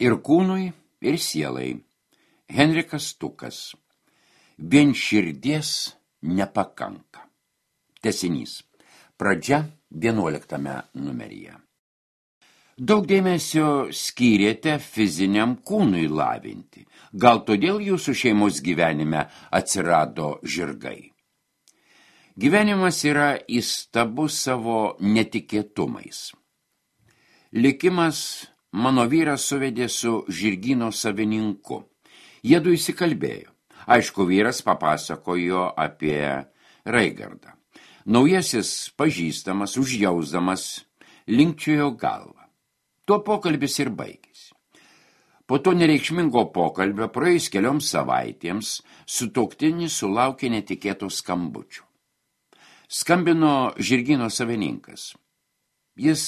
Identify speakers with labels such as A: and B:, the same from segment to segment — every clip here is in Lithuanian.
A: ir kūnui, ir sielai. Henrikas Stukas. Vien širdies nepakanka. Tęsinys. Pradžia 11 numeryje. Daug dėmesio skyrėte fiziniam kūnui lavinti. Gal todėl jūsų šeimos gyvenime atsirado žirgai. Gyvenimas yra įstabus savo netikėtumais. Likimas mano vyras suvedė su žirgyno savininku. Jiedu įsikalbėjo. Aišku, vyras papasakojo apie Raigardą. Naujasis pažįstamas, užjausdamas, linkčiojo galvą. Tuo pokalbis ir baigėsi. Po to nereikšmingo pokalbio praėjus kelioms savaitėms sutuoktinis sulaukė netikėto skambučio. Skambino žirgyno savininkas. Jis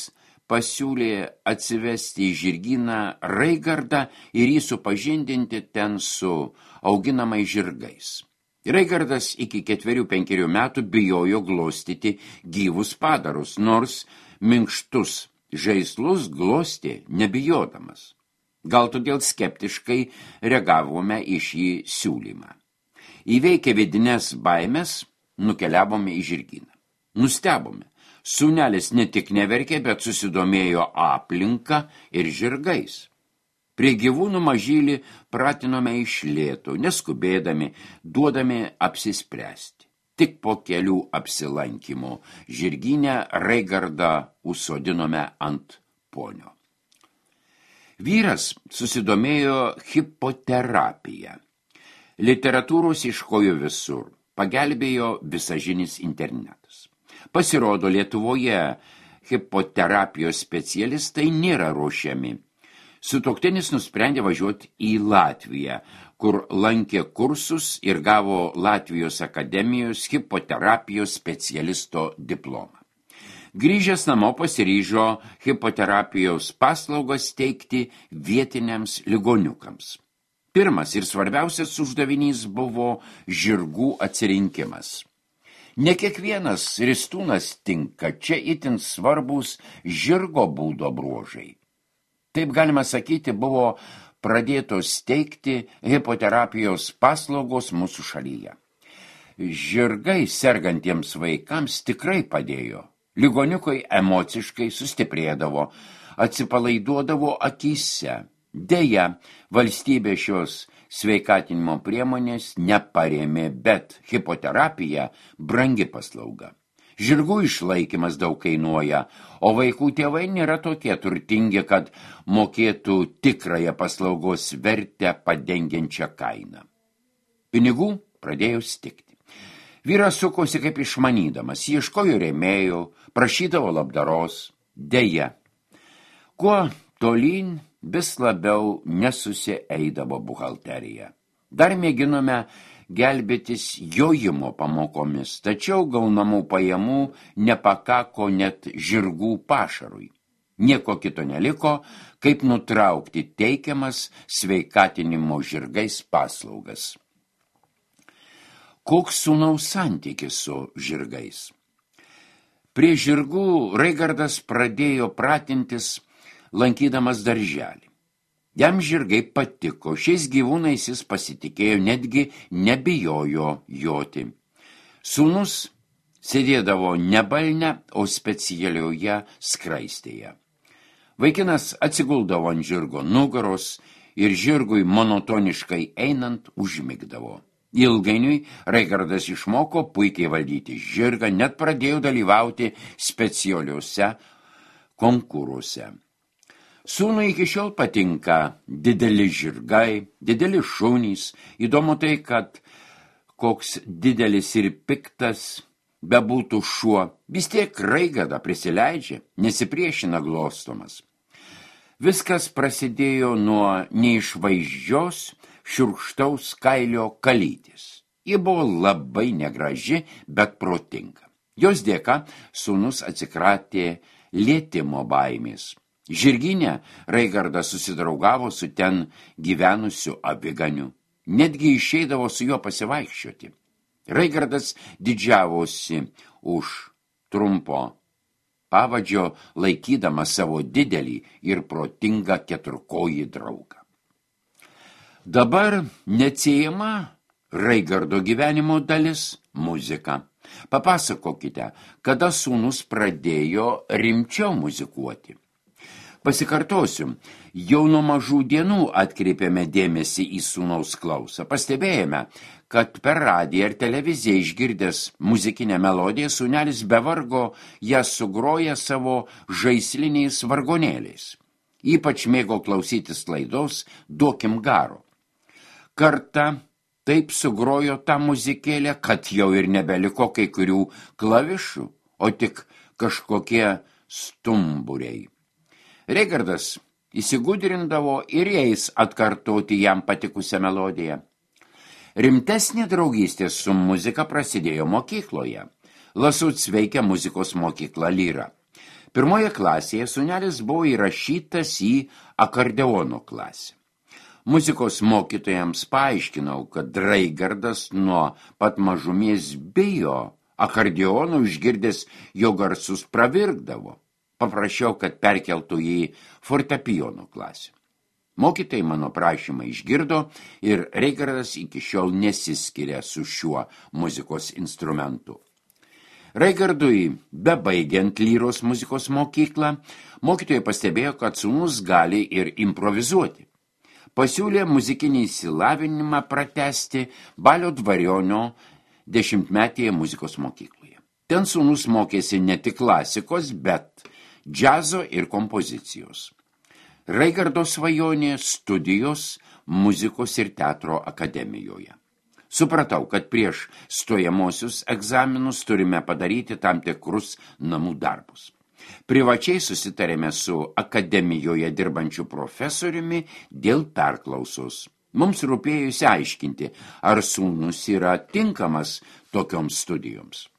A: pasiūlė atsivesti į žirgyną Raigardą ir jį supažindinti ten su auginamais žirgais. Raigardas iki 4-5 metų bijojo glostyti gyvus padarus, nors minkštus žaislus glostė nebijodamas. Gal todėl skeptiškai reagavome į šį siūlymą. Įveikę vidines baimes, nukeliavome į žirgyną. Nustebome. Sūnelis ne tik neverkė, bet susidomėjo aplinka ir žirgais. Prie gyvūnų mažylį pratinome iš lėto, neskubėdami, duodami apsispręsti. Tik po kelių apsilankymų žirgyne Raigardą užsodinome ant ponio. Vyras susidomėjo hipoterapija. Literatūros ieškojo visur, pagelbėjo visažinis internetas. Pasirodo, Lietuvoje hipoterapijos specialistai nėra ruošiami. Sutuoktinis nusprendė važiuoti į Latviją, kur lankė kursus ir gavo Latvijos akademijos hipoterapijos specialisto diplomą. Grįžęs namo pasiryžo hipoterapijos paslaugas teikti vietiniams ligoniukams. Pirmas ir svarbiausias uždavinys buvo žirgų atsirinkimas. Ne kiekvienas ristūnas tinka, čia itin svarbus žirgo būdo bruožai. Taip galima sakyti, buvo pradėtos teikti hipoterapijos paslaugos mūsų šalyje. Žirgai sergantiems vaikams tikrai padėjo. Ligoniukai emociškai sustiprėdavo, atsipalaiduodavo akyse. Deja, valstybė šios sveikatinimo priemonės neparėmė, bet hipoterapija brangi paslauga. Žirgų išlaikymas daug kainuoja, o vaikų tėvai nėra tokie turtingi, kad mokėtų tikrąją paslaugos vertę padengiančią kainą. Pinigų pradėjo stigti. Vyras sukosi kaip išmanydamas, ieškojo rėmėjų, prašydavo labdaros. Deja, kuo tolyn vis labiau nesusieidavo buhalterija. Dar mėginome gelbėtis jojimo pamokomis, tačiau gaunamų pajamų nepakako net žirgų pašarui. Nieko kito neliko, kaip nutraukti teikiamas sveikatinimo žirgais paslaugas. Koks sūnaus santykis su žirgais? Prie žirgų Raigardas pradėjo pratintis, lankydamas darželį. Jam žirgai patiko, šiais gyvūnais jis pasitikėjo, netgi nebijojo joti. Sūnus sėdėdavo ne balne, o specialioje skraistėje. Vaikinas atsiguldavo ant žirgo nugaros ir žirgui monotoniškai einant užmigdavo. Ilgainiui Raigardas išmoko puikiai valdyti žirgą, net pradėjo dalyvauti specialiuose konkuruose. Sūnui iki šiol patinka dideli žirgai, dideli šunys. Įdomu tai, kad koks didelis ir piktas bebūtų šuo, vis tiek Raigardą prisileidžia, nesipriešina glostomas. Viskas prasidėjo nuo neišvaizdžios šiurkštaus kailio kalytės. Ji buvo labai negraži, bet protinga. Jos dėka sūnus atsikratė lietimo baimės. Žirgyne Raigardas susidraugavo su ten gyvenusiu aviganiu. Netgi išeidavo su juo pasivaikščioti. Raigardas didžiavosi už trumpo pavadžio, laikydamas savo didelį ir protingą keturkojį draugą. Dabar neatsiejama Raigardo gyvenimo dalis – muzika. Papasakokite, kada sūnus pradėjo rimčiau muzikuoti. Pasikartosiu, jau nuo mažų dienų atkreipėme dėmesį į sūnaus klausą. Pastebėjome, kad per radiją ir televiziją išgirdęs muzikinę melodiją sūnelis be vargo ją sugroja savo žaisliniais vargonėliais. Ypač mėgo klausytis laidos Duokim garo. Kartą taip sugrojo tą muzikėlę, kad jau ir nebeliko kai kurių klavišų, o tik kažkokie stumburiai. Reigardas įsigudrindavo ir jais atkartoti jam patikusią melodiją. Rimtesnė draugystė su muzika prasidėjo mokykloje. Lasuc veikia muzikos mokykla Lyra. Pirmoje klasėje sūnelis buvo įrašytas į akordeono klasę. Muzikos mokytojams paaiškinau, kad Raigardas nuo pat mažumės bijo akordeonų, išgirdęs jo garsus pravirkdavo. Paprašiau, kad perkeltų į fortepijono klasę. Mokytojai mano prašymą išgirdo ir Raigardas iki šiol nesiskiria su šiuo muzikos instrumentu. Raigardui, bebaigiant Lyros muzikos mokyklą, mokytojai pastebėjo, kad sūnus gali ir improvizuoti. Pasiūlė muzikinį išsilavinimą pratęsti Balio Dvarionio 10-metėje muzikos mokykloje. Ten sūnus mokėsi ne tik klasikos, bet džiazo ir kompozicijos. Raigardo svajonė studijos muzikos ir teatro akademijoje. Supratau, kad prieš stojamosius egzaminus turime padaryti tam tikrus namų darbus. Privačiai susitarėme su akademijoje dirbančiu profesoriumi dėl perklausos. Mums rūpėjo išsiaiškinti, ar sūnus yra tinkamas tokioms studijoms.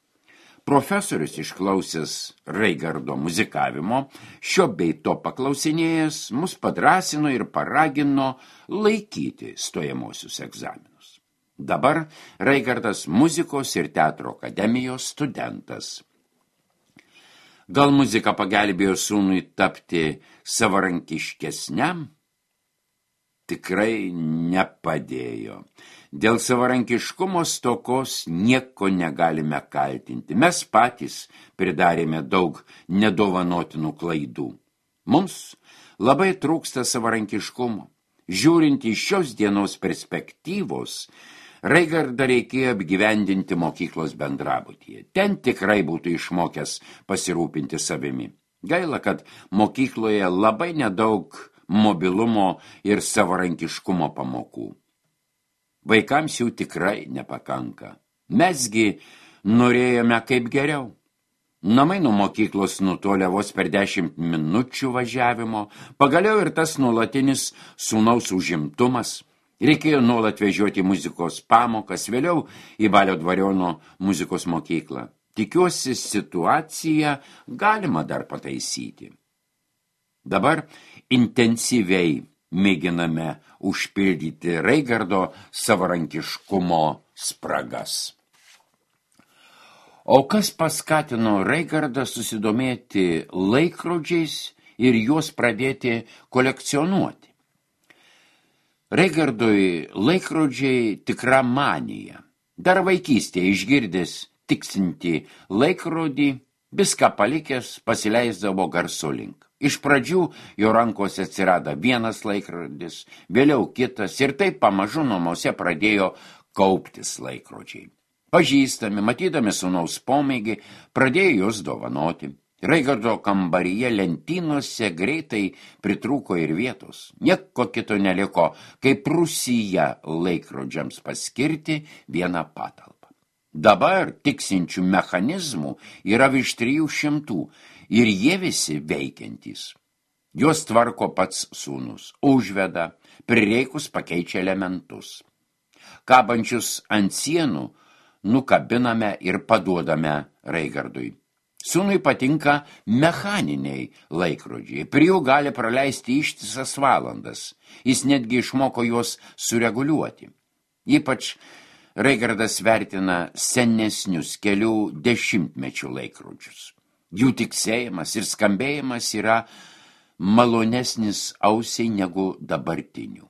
A: Profesorius išklausęs Raigardo muzikavimo, šio bei to paklausinėjęs, mus padrąsino ir paragino laikyti stojamosius egzaminus. Dabar Raigardas muzikos ir teatro akademijos studentas. Gal muzika pagelbėjo sūnui tapti savarankiškesniam? Tikrai nepadėjo. Dėl savarankiškumo stokos nieko negalime kaltinti. Mes patys pridarėme daug nedovanotinų klaidų. Mums labai trūksta savarankiškumo. Žiūrint iš šios dienos perspektyvos, Raigardą reikėjo apgyvendinti mokyklos bendrabutyje. Ten tikrai būtų išmokęs pasirūpinti savimi. Gaila, kad mokykloje labai nedaug mobilumo ir savarankiškumo pamokų. Vaikams jų tikrai nepakanka. Mesgi norėjome kaip geriau. Namai nuo mokyklos nutolė vos per 10 minučių važiavimo, pagaliau ir tas nuolatinis sūnaus užimtumas. Reikėjo nuolat vežioti muzikos pamokas, vėliau į Balio Dvariono muzikos mokyklą. Tikiuosi, situaciją galima dar pataisyti. Dabar intensyviai mėginame užpildyti Raigardo savarankiškumo spragas. O kas paskatino Raigardą susidomėti laikrodžiais ir juos pradėti kolekcionuoti? Raigardui laikrodžiai tikra manija. Dar vaikystėje išgirdęs tiksinti laikrodį, viską palikęs pasileisdavo garso link. Iš pradžių jo rankose atsirado vienas laikrodis, vėliau kitas ir taip pamažu namuose pradėjo kauptis laikrodžiai. Pažįstami, matydami sūnaus pomėgį, pradėjo juos dovanoti. Raigardo kambaryje lentynose greitai pritrūko ir vietos. Nieko kito neliko, kaip Rūsyje laikrodžiams paskirti vieną patalpą. Dabar tiksinčių mechanizmų yra virš 300 ir jie visi veikiantys. Juos tvarko pats sūnus, užveda, prireikus pakeičia elementus. Kabančius ant sienų nukabiname ir paduodame Raigardui. Sūnui patinka mechaniniai laikrodžiai, prie jų gali praleisti ištisas valandas. Jis netgi išmoko juos sureguliuoti. Ypač Raigardas vertina senesnius kelių dešimtmečių laikrodžius. Jų tiksėjimas ir skambėjimas yra malonesnis ausiai negu dabartinių.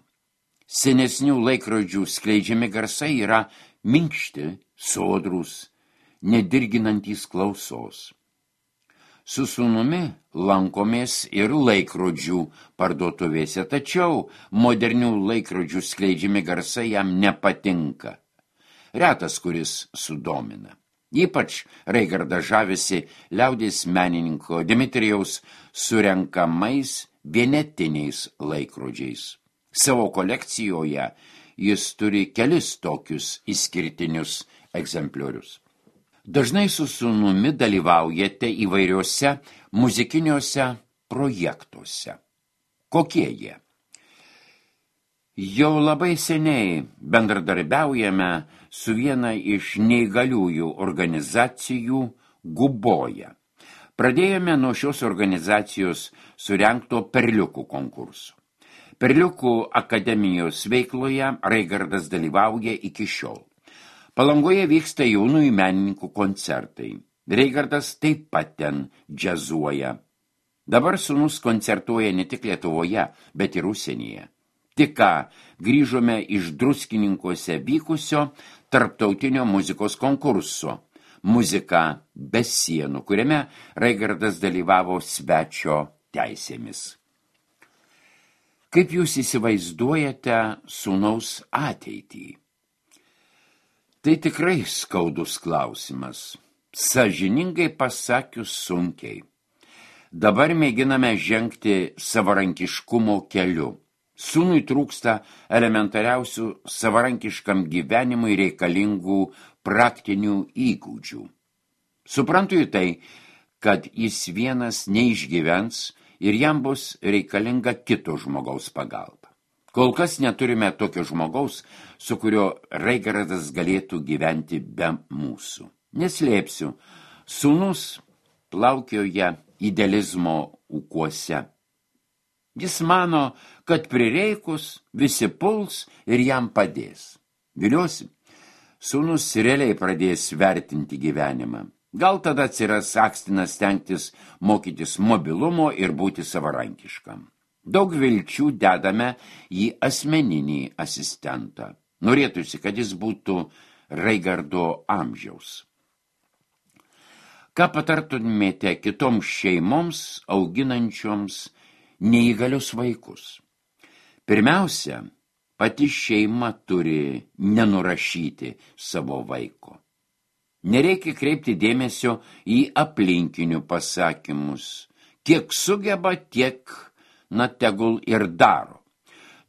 A: Senesnių laikrodžių skleidžiami garsai yra minkšti, sodrūs, nedirginantys klausos. Su sūnumi lankomės ir laikrodžių parduotuvėse, tačiau modernių laikrodžių skleidžiami garsai jam nepatinka. Retas, kuris sudomina. Ypač Reigardas žavisi liaudies menininko Dimitrijaus surenkamais vienetiniais laikrodžiais. Savo kolekcijoje jis turi kelis tokius išskirtinius egzempliorius. Dažnai su sūnumi dalyvaujate įvairiuose muzikiniuose projektuose. Kokie jie? Jau labai seniai bendradarbiaujame su viena iš neįgaliųjų organizacijų Guboja. Pradėjome nuo šios organizacijos surengto perliukų konkurso. Perliukų akademijos veikloje Reigardas dalyvauja iki šiol. Palangoje vyksta jaunųjų menininkų koncertai. Reigardas taip pat ten džiazuoja. Dabar sūnus koncertuoja ne tik Lietuvoje, bet ir užsienyje. Tik ką grįžome iš Druskininkuose vykusio tarptautinio muzikos konkurso Muzika be sienų, kuriame Reigardas dalyvavo svečio teisėmis. Kaip jūs įsivaizduojate sūnaus ateitį? Tai tikrai skaudus klausimas. Sąžiningai pasakius sunkiai. Dabar mėginame žengti savarankiškumo keliu. Sūnui trūksta elementariausių savarankiškam gyvenimui reikalingų praktinių įgūdžių. Suprantu į tai, kad jis vienas neišgyvens ir jam bus reikalinga kito žmogaus pagalba. Kol kas neturime tokio žmogaus, su kurio Reigardas galėtų gyventi be mūsų. Neslėpsiu, sūnus plaukioja idealizmo ūkuose. Jis mano, kad prireikus visi puls ir jam padės. Viliuosi, sūnus realiai pradės vertinti gyvenimą. Gal tada atsiras akstinas stengtis mokytis mobilumo ir būti savarankiškam. Daug vilčių dedame į asmeninį asistentą. Norėtųsi, kad jis būtų Reigardo amžiaus. Ką patartumėte kitoms šeimoms auginančioms neįgalius vaikus? Pirmiausia, pati šeima turi nenurašyti savo vaiko. Nereikia kreipti dėmesio į aplinkinių pasakymus. Kiek sugeba, tiek tegul ir daro.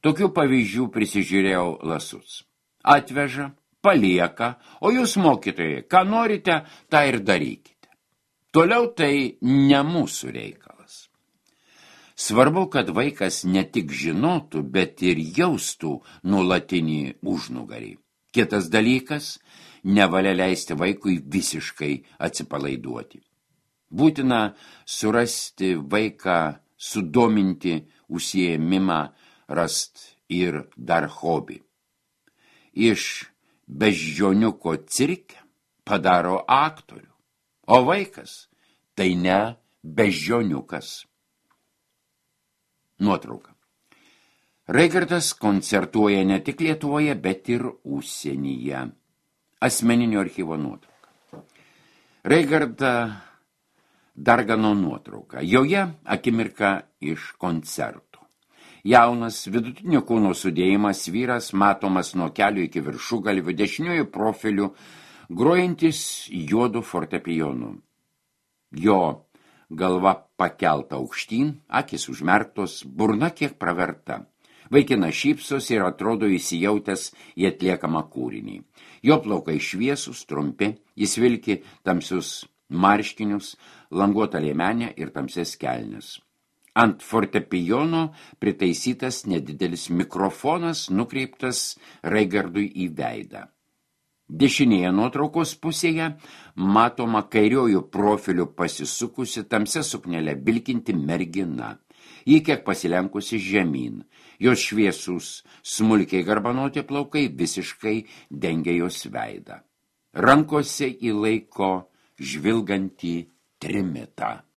A: Tokių pavyzdžių prisižiūrėjau lasus. Atveža, palieka, o jūs mokytojai, ką norite, tą ir darykite. Toliau tai ne mūsų reikalas. Svarbu, kad vaikas ne tik žinotų, bet ir jaustų nuolatinį užnugarį. Kitas dalykas, nevalia leisti vaikui visiškai atsipalaiduoti. Būtina surasti vaiką, sudominti užsiėmimą, rast ir dar hobį. Iš beždžioniuko cirke padaro aktorių, o vaikas tai ne beždžioniukas. Nuotrauka. Reigardas koncertuoja ne tik Lietuvoje, bet ir užsienyje. Asmeninio archyvo nuotrauka. Reigardą Dargano nuotrauka. Joje akimirka iš koncertų. Jaunas, vidutinio kūno sudėjimas vyras matomas nuo kelių iki viršugalvių, dešiniųjų profilių, grojantis juodu fortepijonu. Jo galva pakelta aukštyn, akis užmerktos, burna kiek praverta. Vaikinas šypsos ir atrodo įsijautęs į atliekamą kūrinį. Jo plaukai šviesūs, trumpi, jis vilki tamsius marškinius, languotą liemenę ir tamsias kelnes. Ant fortepijono pritaisytas nedidelis mikrofonas nukreiptas Reigardui į veidą. Dešinėje nuotraukos pusėje matoma kairiojų profilių pasisukusi tamsia suknelė vilkinti mergina. Ji kiek pasilenkusi žemyn. Jos šviesūs, smulkiai garbanoti plaukai visiškai dengia jos veidą. Rankose įlaiko žvilgantį trimitą.